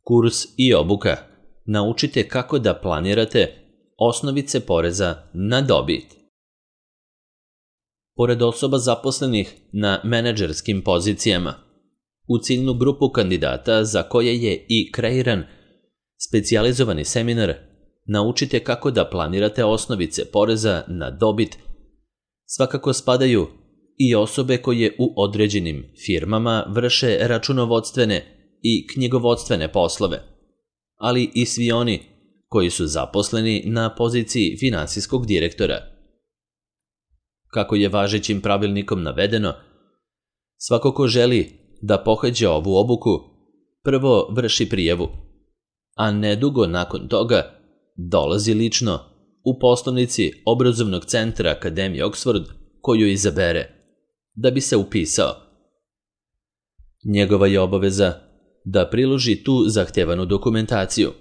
Kurs i obuka. Naučite kako da planirate osnovice poreza na dobit. Pored osoba zaposlenih na menadžerskim pozicijama, u ciljnu grupu kandidata za koje je i kreiran specijalizovani seminar Naučite kako da planirate osnovice poreza na dobit, svakako spadaju i osobe koje u određenim firmama vrše računovodstvene i knjigovodstvene poslove, ali i svi oni koji su zaposleni na poziciji finansijskog direktora. Kako je važećim pravilnikom navedeno, svako ko želi da pohađa ovu obuku, prvo vrši prijavu, a nedugo nakon toga dolazi lično u poslovnici obrazovnog centra Akademije Oxford koju izabere, da bi se upisao. Njegova je obaveza da priloži tu zahtevanu dokumentaciju,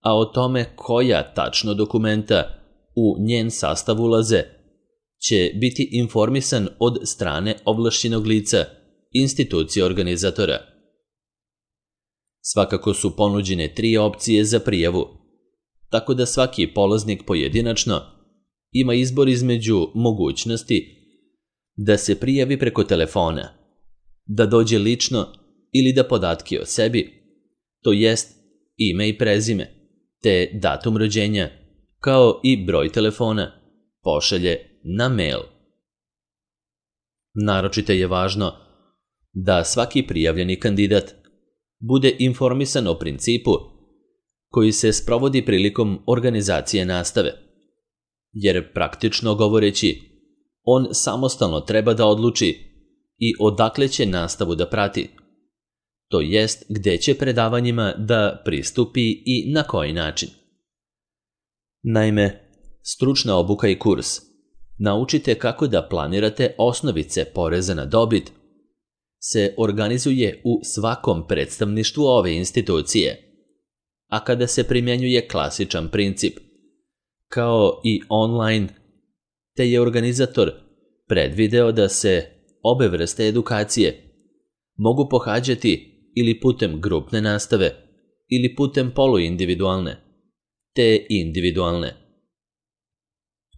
a o tome koja tačno dokumenta u njen sastav ulaze će biti informisan od strane ovlašćenog lica institucije organizatora. Svakako su ponuđene 3 opcije za prijavu, tako da svaki polaznik pojedinačno ima izbor između mogućnosti da se prijavi preko telefona, da dođe lično ili da podatke o sebi, to jest ime i prezime, te datum rođenja, kao i broj telefona, pošalje na mail. Naročito je važno da svaki prijavljeni kandidat bude informisan o principu koji se sprovodi prilikom organizacije nastave, jer praktično govoreći, on samostalno treba da odluči i odakle će nastavu da prati, to jest gde će predavanjima da pristupi i na koji način. Naime, stručna obuka i kurs Naučite kako da planirate osnovice poreza na dobit se organizuje u svakom predstavništvu ove institucije, a kada se primjenjuje klasičan princip, kao i online, te je organizator predvideo da se obe vrste edukacije mogu pohađati ili putem grupne nastave ili putem poluindividualne, te individualne.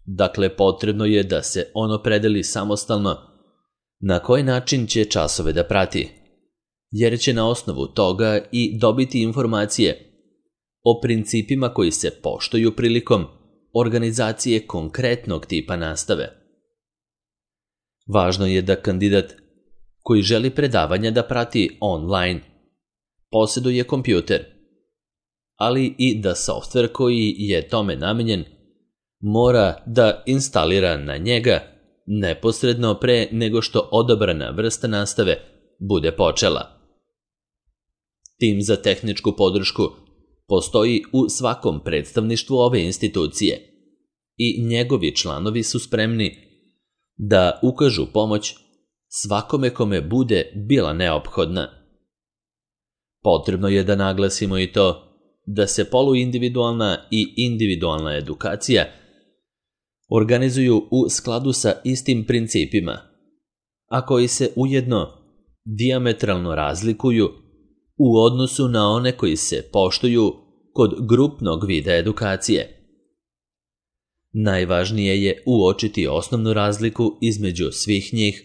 Dakle, potrebno je da se on opredeli samostalno na koji način će časove da prati, jer će na osnovu toga i dobiti informacije o principima koji se poštuju prilikom organizacije konkretnog tipa nastave. Važno je da kandidat koji želi predavanja da prati online posjeduje kompjuter, ali i da softver koji je tome namenjen mora da instalira na njega neposredno pre nego što odabrana vrsta nastave bude počela. Tim za tehničku podršku postoji u svakom predstavništvu ove institucije i njegovi članovi su spremni da ukažu pomoć svakome kome bude bila neophodna. Potrebno je da naglasimo i to da se poluindividualna i individualna edukacija organizuju u skladu sa istim principima, a koji se ujedno dijametralno razlikuju u odnosu na one koji se poštuju kod grupnog vida edukacije. Najvažnije je uočiti osnovnu razliku između svih njih,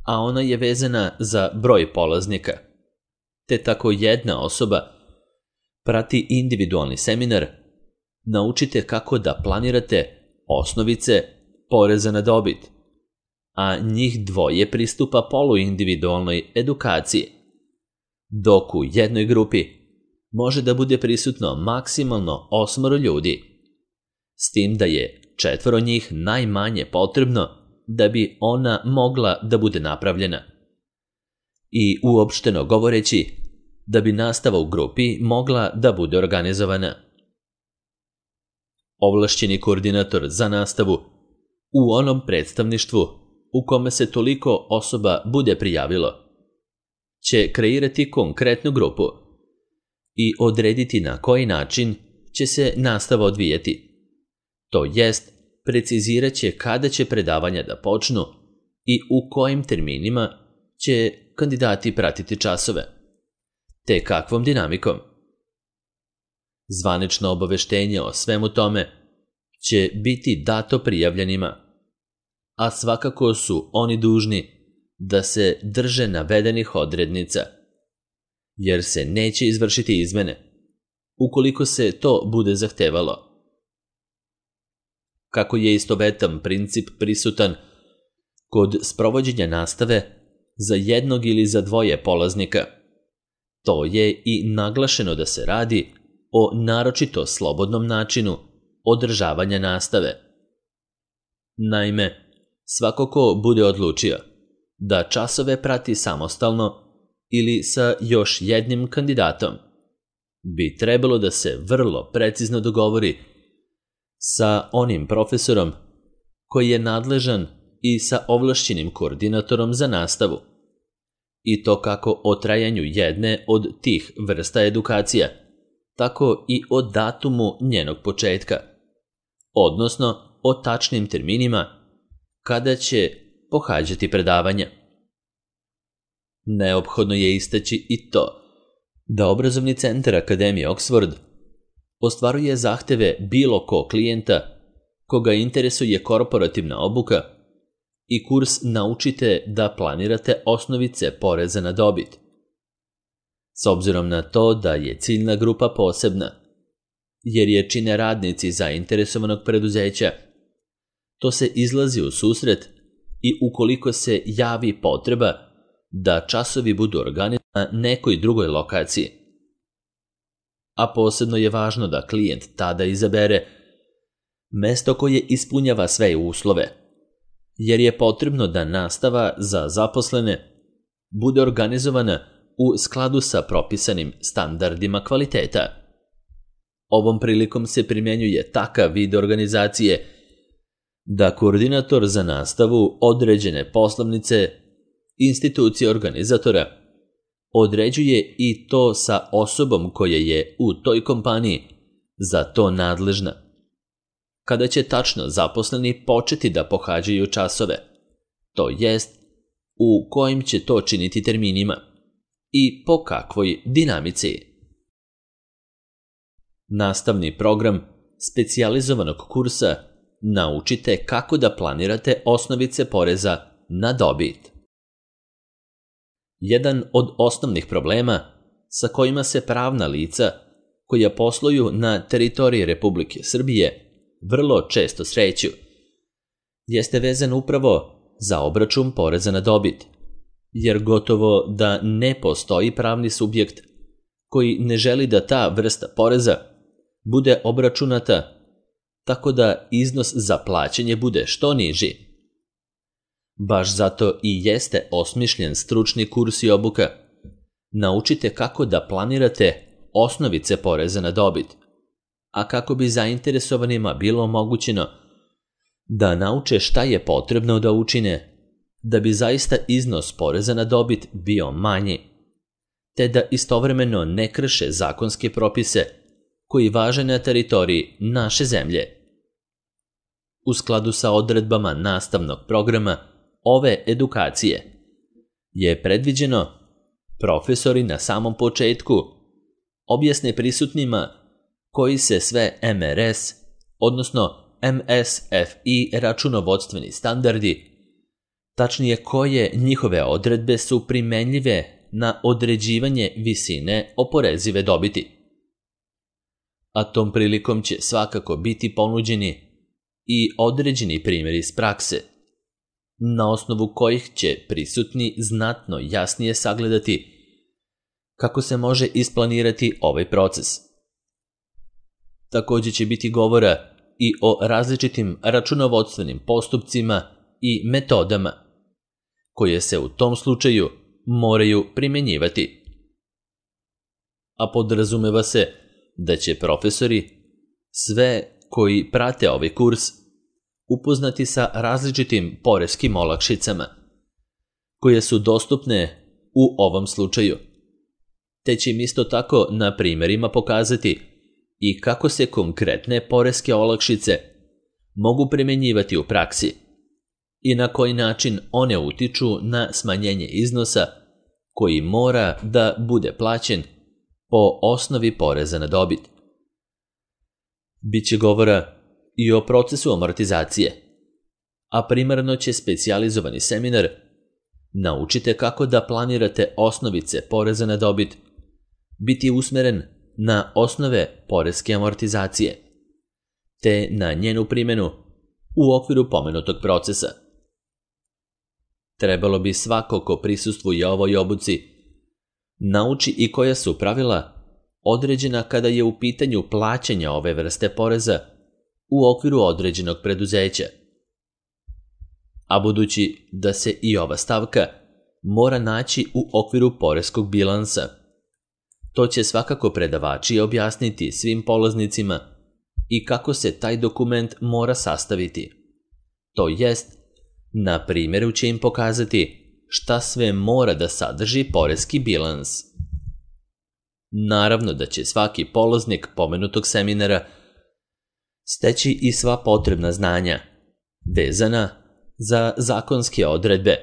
a ona je vezana za broj polaznika, te tako jedna osoba prati individualni seminar Naučite kako da planirate osnovice poreza na dobit, a njih dvoje pristupa poluindividualnoj edukaciji, dok u jednoj grupi može da bude prisutno maksimalno 8 ljudi, s tim da je 4 njih najmanje potrebno da bi ona mogla da bude napravljena. I uopšteno govoreći, da bi nastava u grupi mogla da bude organizovana. Ovlašćeni koordinator za nastavu u onom predstavništvu u kome se toliko osoba bude prijavilo će kreirati konkretnu grupu i odrediti na koji način će se nastava odvijati. To jest, precizirat će kada će predavanja da počnu i u kojim terminima će kandidati pratiti časove, te kakvom dinamikom. Zvanično obaveštenje o svemu tome će biti dato prijavljenima, a svakako su oni dužni da se drže navedenih odrednica, jer se neće izvršiti izmene, ukoliko se to bude zahtevalo. Kako je istovetan princip prisutan kod sprovođenja nastave za jednog ili za dvoje polaznika, to je i naglašeno da se radi o naročito slobodnom načinu održavanja nastave. Naime, svako ko bude odlučio da časove prati samostalno ili sa još jednim kandidatom, bi trebalo da se vrlo precizno dogovori sa onim profesorom koji je nadležan i sa ovlašćenim koordinatorom za nastavu, i to kako o trajanju jedne od tih vrsta edukacija, tako i o datumu njenog početka, odnosno o tačnim terminima kada će pohađati predavanja. Neophodno je istaći i to da obrazovni centar Akademije Oxford ostvaruje zahteve bilo ko klijenta koga interesuje korporativna obuka i kurs Naučite da planirate osnovice poreza na dobit. S obzirom na to da je ciljna grupa posebna, jer je čine radnici zainteresovanog preduzeća, to se izlazi u susret i ukoliko se javi potreba da časovi budu organizovani na nekoj drugoj lokaciji. A posebno je važno da klijent tada izabere mesto koje ispunjava sve uslove, jer je potrebno da nastava za zaposlene bude organizovana u skladu sa propisanim standardima kvaliteta. Ovom prilikom se primjenjuje takav vid organizacije da koordinator za nastavu određene poslovnice institucije organizatora određuje i to sa osobom koja je u toj kompaniji za to nadležna, kada će tačno zaposleni početi da pohađaju časove, to jest u kojim će to činiti terminima i po kakvoj dinamici. Nastavni program specijalizovanog kursa Naučite kako da planirate osnovice poreza na dobit. Jedan od osnovnih problema sa kojima se pravna lica koja posluju na teritoriji Republike Srbije vrlo često sreću jeste vezan upravo za obračun poreza na dobit, jer gotovo da ne postoji pravni subjekt koji ne želi da ta vrsta poreza bude obračunata tako da iznos za plaćanje bude što niži. Baš zato i jeste osmišljen stručni kurs i obuka. Naučite kako da planirate osnovice poreza na dobit, a kako bi zainteresovanima bilo omogućeno da nauče šta je potrebno da učine da bi zaista iznos poreza na dobit bio manji, te da istovremeno ne krše zakonske propise koji važe na teritoriji naše zemlje. U skladu sa odredbama nastavnog programa ove edukacije je predviđeno profesori na samom početku objasne prisutnima koji se sve MRS, odnosno MSFI računovodstveni standardi, tačnije koje njihove odredbe su primenljive na određivanje visine oporezive dobiti. A tom prilikom će svakako biti ponuđeni i određeni primjeri iz prakse, na osnovu kojih će prisutni znatno jasnije sagledati kako se može isplanirati ovaj proces. Također će biti govora i o različitim računovodstvenim postupcima i metodama koje se u tom slučaju moraju primjenjivati. A podrazumeva se da će profesori, sve koji prate ovaj kurs, upoznati sa različitim poreskim olakšicama koje su dostupne u ovom slučaju, te će im isto tako na primjerima pokazati i kako se konkretne poreske olakšice mogu primjenjivati u praksi i na koji način one utiču na smanjenje iznosa koji mora da bude plaćen po osnovi poreza na dobit, Biće govora i o procesu amortizacije, a primarno će specijalizovani seminar Naučite kako da planirate osnovice poreza na dobit biti usmeren na osnove poreske amortizacije, te na njenu primjenu u okviru pomenutog procesa. Trebalo bi svako ko prisustvuje ovoj obuci nauči i koja su pravila određena kada je u pitanju plaćanja ove vrste poreza u okviru određenog preduzeća. A budući da se i ova stavka mora naći u okviru poreskog bilansa, to će svakako predavači objasniti svim polaznicima i kako se taj dokument mora sastaviti. To jest, na primjeru će im pokazati šta sve mora da sadrži poreski bilans. Naravno da će svaki polaznik pomenutog seminara steći i sva potrebna znanja vezana za zakonske odredbe,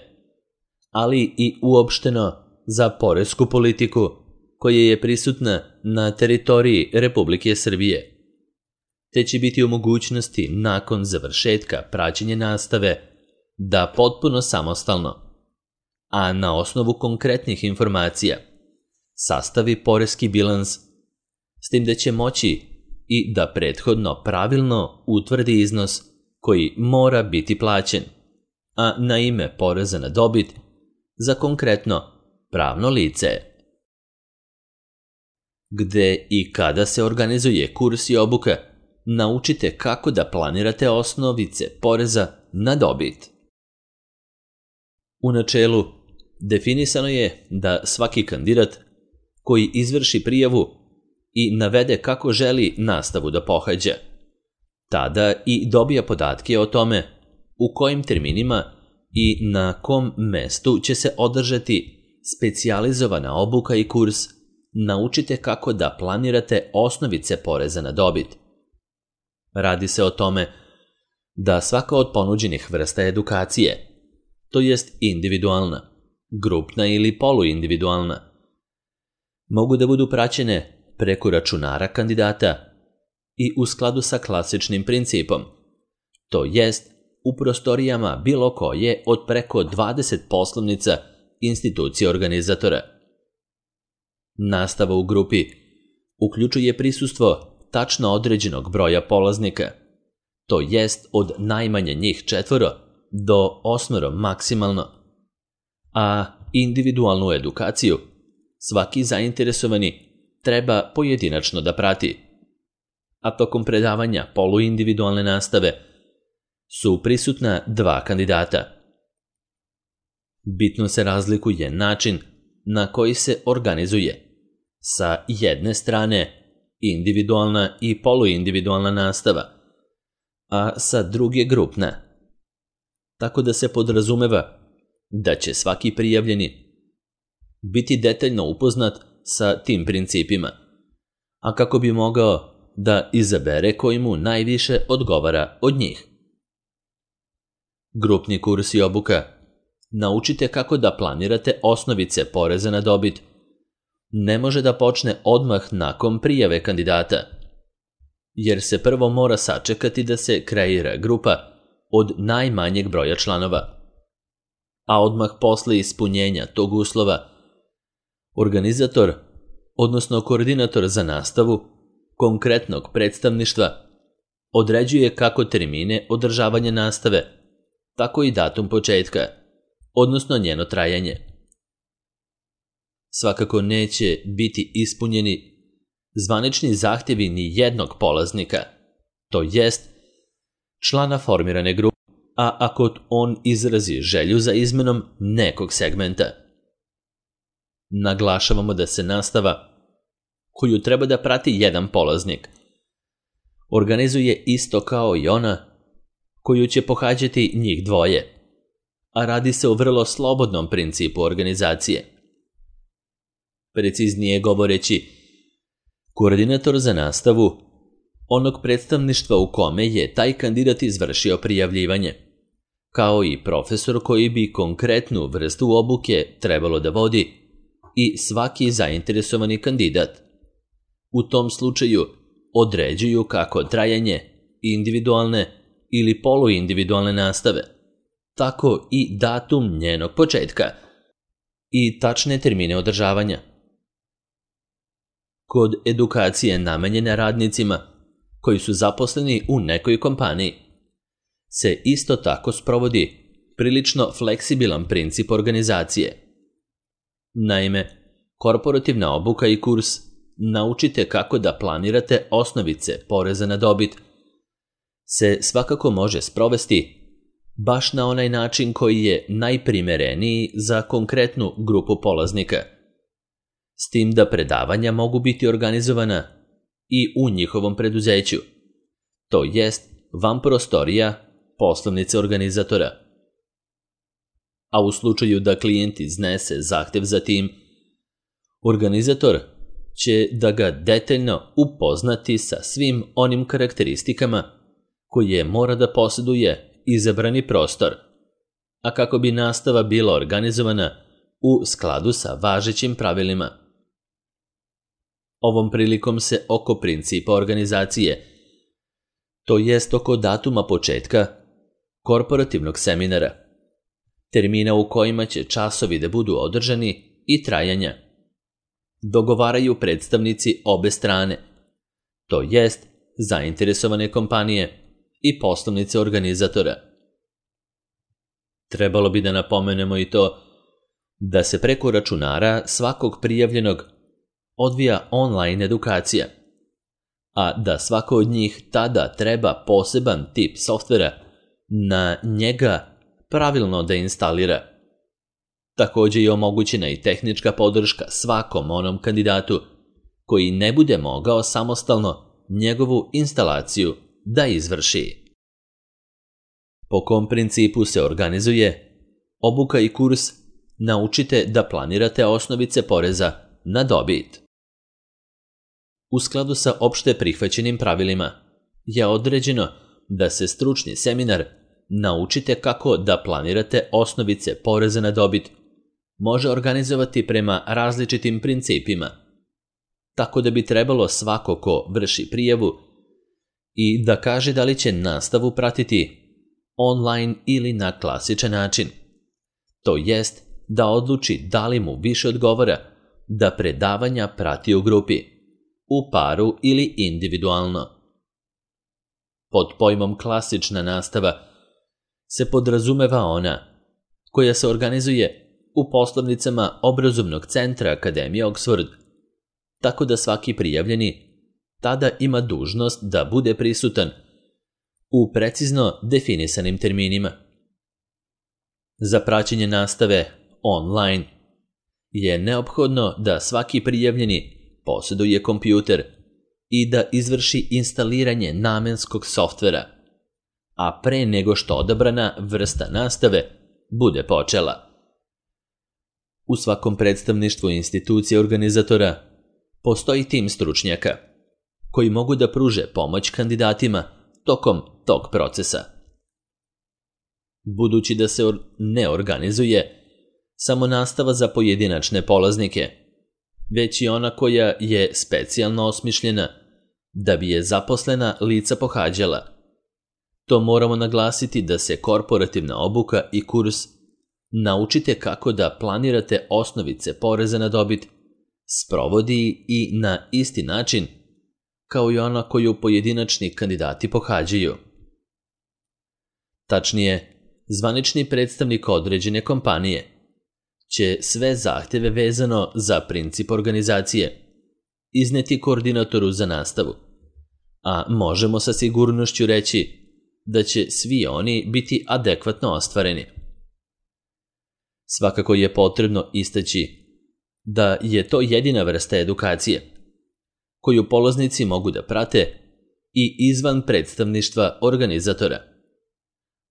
ali i uopšteno za poresku politiku koja je prisutna na teritoriji Republike Srbije, te će biti u mogućnosti nakon završetka praćenja nastave da potpuno samostalno, a na osnovu konkretnih informacija, sastavi poreski bilans, s tim da će moći i da prethodno pravilno utvrdi iznos koji mora biti plaćen, a na ime poreza na dobit za konkretno pravno lice. Gde i kada se organizuje kurs i obuka, naučite kako da planirate osnovice poreza na dobit. U načelu, definisano je da svaki kandidat koji izvrši prijavu i navede kako želi nastavu da pohađa, tada i dobija podatke o tome u kojim terminima i na kom mestu će se održati specijalizovana obuka i kurs Naučite kako da planirate osnovice poreza na dobit. Radi se o tome da svaka od ponuđenih vrsta edukacije, to jest individualna, grupna ili poluindividualna, mogu da budu praćene preko računara kandidata i u skladu sa klasičnim principom, to jest u prostorijama bilo koje od preko 20 poslovnica institucije organizatora. Nastava u grupi uključuje prisustvo tačno određenog broja polaznika, to jest od najmanje njih 4 do 8 maksimalno, a individualnu edukaciju svaki zainteresovani treba pojedinačno da prati, a tokom predavanja poluindividualne nastave su prisutna 2 kandidata. Bitno se razlikuje način na koji se organizuje sa jedne strane individualna i poluindividualna nastava, a sa druge grupna. Tako da se podrazumeva da će svaki prijavljeni biti detaljno upoznat sa tim principima, a kako bi mogao da izabere koji mu najviše odgovara od njih. Grupni kurs i obuka Naučite kako da planirate osnovice poreza na dobit ne može da počne odmah nakon prijave kandidata, jer se prvo mora sačekati da se kreira grupa od najmanjeg broja članova, a odmah posle ispunjenja tog uslova organizator, odnosno koordinator za nastavu konkretnog predstavništva određuje kako termine održavanja nastave, tako i datum početka, odnosno njeno trajanje. Svakako neće biti ispunjeni zvanični zahtjevi ni jednog polaznika, to jest člana formirane grupe, a ako on izrazi želju za izmenom nekog segmenta. Naglašavamo da se nastava, koju treba da prati jedan polaznik, organizuje isto kao i ona koju će pohađati njih dvoje, a radi se o vrlo slobodnom principu organizacije. Preciznije govoreći, koordinator za nastavu onog predstavništva u kome je taj kandidat izvršio prijavljivanje, kao i profesor koji bi konkretnu vrstu obuke trebalo da vodi i svaki zainteresovani kandidat. U tom slučaju određuju kako trajanje individualne ili poluindividualne nastave, tako i datum njenog početka i tačne termine održavanja. Kod edukacije namenjene radnicima koji su zaposleni u nekoj kompaniji se isto tako sprovodi prilično fleksibilan princip organizacije. Naime, korporativna obuka i kurs Naučite kako da planirate osnovice poreza na dobit se svakako može sprovesti baš na onaj način koji je najprimereniji za konkretnu grupu polaznika, s tim da predavanja mogu biti organizovana i u njihovom preduzeću, to jest van prostorija poslovnice organizatora. A u slučaju da klijent iznese zahtev za tim, organizator će da ga detaljno upoznati sa svim onim karakteristikama koje mora da posjeduje izabrani prostor, a kako bi nastava bila organizovana u skladu sa važećim pravilima. Ovom prilikom se oko principa organizacije, to jest oko datuma početka korporativnog seminara, termina u kojima će časovi da budu održani i trajanja, dogovaraju predstavnici obe strane, to jest zainteresovane kompanije i poslovnice organizatora. Trebalo bi da napomenemo i to da se preko računara svakog prijavljenog odvija online edukacija, a da svako od njih tada treba poseban tip softvera na njega pravilno da instalira. Također je omogućena i tehnička podrška svakom onom kandidatu koji ne bude mogao samostalno njegovu instalaciju da izvrši. Po kom principu se organizuje obuka i kurs Naučite da planirate osnovice poreza na dobit. U skladu sa opšte prihvaćenim pravilima je određeno da se stručni seminar Naučite kako da planirate osnovice poreza na dobit može organizovati prema različitim principima, tako da bi trebalo svako ko vrši prijavu i da kaže da li će nastavu pratiti online ili na klasičan način, to jest da odluči da li mu više odgovara da predavanja prati u grupi, u paru ili individualno. Pod pojmom klasična nastava se podrazumeva ona koja se organizuje u poslovnicama obrazovnog centra Akademije Oxford, tako da svaki prijavljeni tada ima dužnost da bude prisutan u precizno definisanim terminima. Za praćenje nastave online je neophodno da svaki prijavljeni posjeduje kompjuter i da izvrši instaliranje namenskog softvera, a pre nego što odabrana vrsta nastave bude počela. U svakom predstavništvu institucije organizatora postoji tim stručnjaka koji mogu da pruže pomoć kandidatima tokom tog procesa. Budući da se ne organizuje samo nastava za pojedinačne polaznike, već i ona koja je specijalno osmišljena da bi je zaposlena lica pohađala, to moramo naglasiti da se korporativna obuka i kurs Naučite kako da planirate osnovice poreza na dobit sprovodi i na isti način kao i ona koju pojedinačni kandidati pohađaju. Tačnije, zvanični predstavnik određene kompanije će sve zahtjeve vezano za princip organizacije izneti koordinatoru za nastavu, a možemo sa sigurnošću reći da će svi oni biti adekvatno ostvareni. Svakako je potrebno istaći da je to jedina vrsta edukacije koju polaznici mogu da prate i izvan predstavništva organizatora,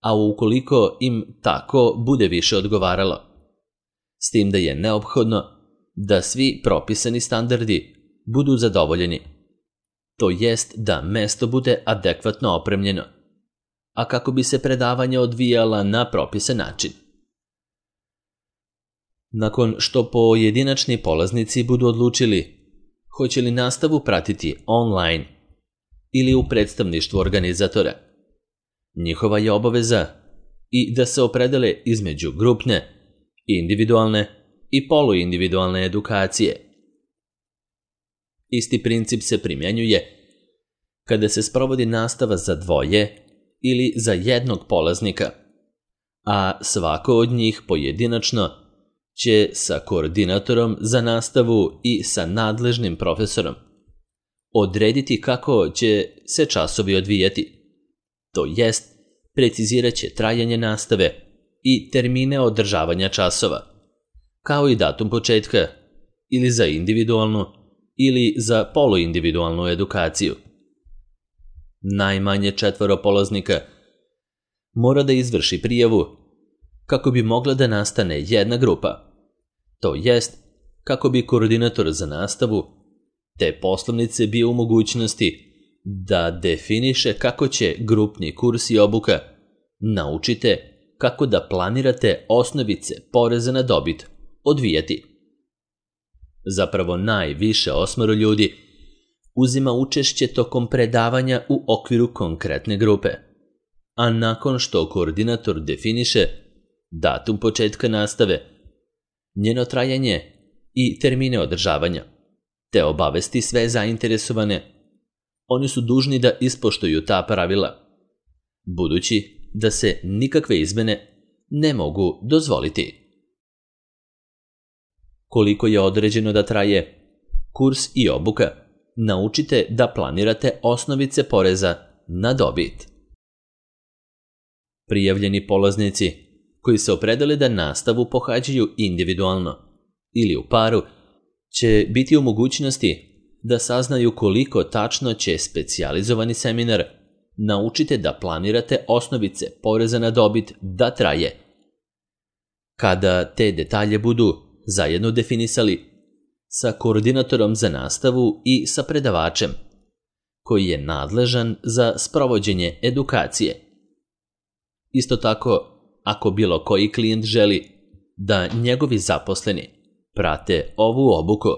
a ukoliko im tako bude više odgovaralo, s tim da je neophodno da svi propisani standardi budu zadovoljeni, to jest da mesto bude adekvatno opremljeno, a kako bi se predavanja odvijala na propisan način. Nakon što pojedinačni polaznici budu odlučili hoće li nastavu pratiti online ili u predstavništvu organizatora. Njihova je obaveza i da se opredele između grupne, individualne i poluindividualne edukacije. Isti princip se primjenjuje kada se sprovodi nastava za dvoje ili za jednog polaznika, a svako od njih pojedinačno će sa koordinatorom za nastavu i sa nadležnim profesorom odrediti kako će se časovi odvijati, to jest precizirat će trajanje nastave i termine održavanja časova, kao i datum početka ili za individualnu ili za poluindividualnu edukaciju. Najmanje 4 polaznika mora da izvrši prijavu kako bi mogla da nastane jedna grupa, to jest kako bi koordinator za nastavu te poslovnice bio u mogućnosti da definiše kako će grupni kurs i obuka naučite kako da planirate osnovice poreza na dobit odvijati. Zapravo najviše 8 ljudi uzima učešće tokom predavanja u okviru konkretne grupe, a nakon što koordinator definiše datum početka nastave, njeno trajanje i termine održavanja, te obavesti sve zainteresovane, oni su dužni da ispoštuju ta pravila, budući da se nikakve izmene ne mogu dozvoliti. Koliko je određeno da traje kurs i obuka, naučite da planirate osnovice poreza na dobit. Prijavljeni polaznici koji se opredele da nastavu pohađaju individualno ili u paru će biti u mogućnosti da saznaju koliko tačno će specijalizovani seminar naučite da planirate osnovice poreza na dobit da traje. Kada te detalje budu zajedno definisali sa koordinatorom za nastavu i sa predavačem, koji je nadležan za sprovođenje edukacije. Isto tako, ako bilo koji klijent želi da njegovi zaposleni prate ovu obuku,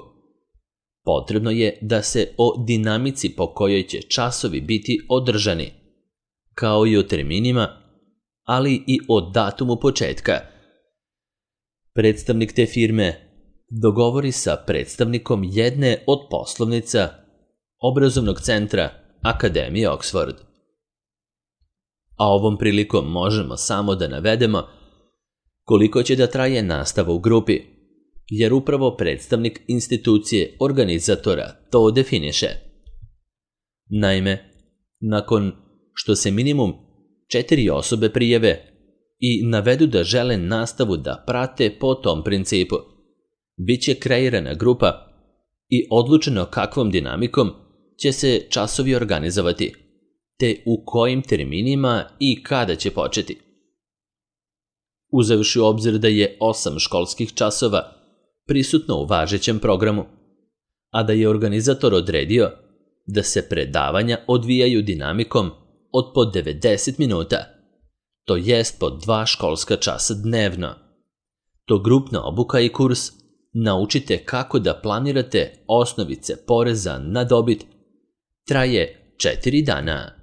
potrebno je da se o dinamici po kojoj će časovi biti održani, kao i o terminima, ali i o datumu početka. Predstavnik te firme dogovori sa predstavnikom jedne od poslovnica obrazovnog centra Akademije Oxford. A ovom prilikom možemo samo da navedemo koliko će da traje nastava u grupi, jer upravo predstavnik institucije organizatora to definiše. Naime, nakon što se minimum 4 osobe prijave i navedu da žele nastavu da prate po tom principu, bit će kreirana grupa i odlučeno kakvom dinamikom će se časovi organizovati, te u kojim terminima i kada će početi. Uzevši u obzir da je 8 školskih časova prisutno u važećem programu, a da je organizator odredio da se predavanja odvijaju dinamikom od po 90 minuta, to jest po 2 školska časa dnevno. To grupna obuka i kurs naučite kako da planirate osnovice poreza na dobit traje 4 dana.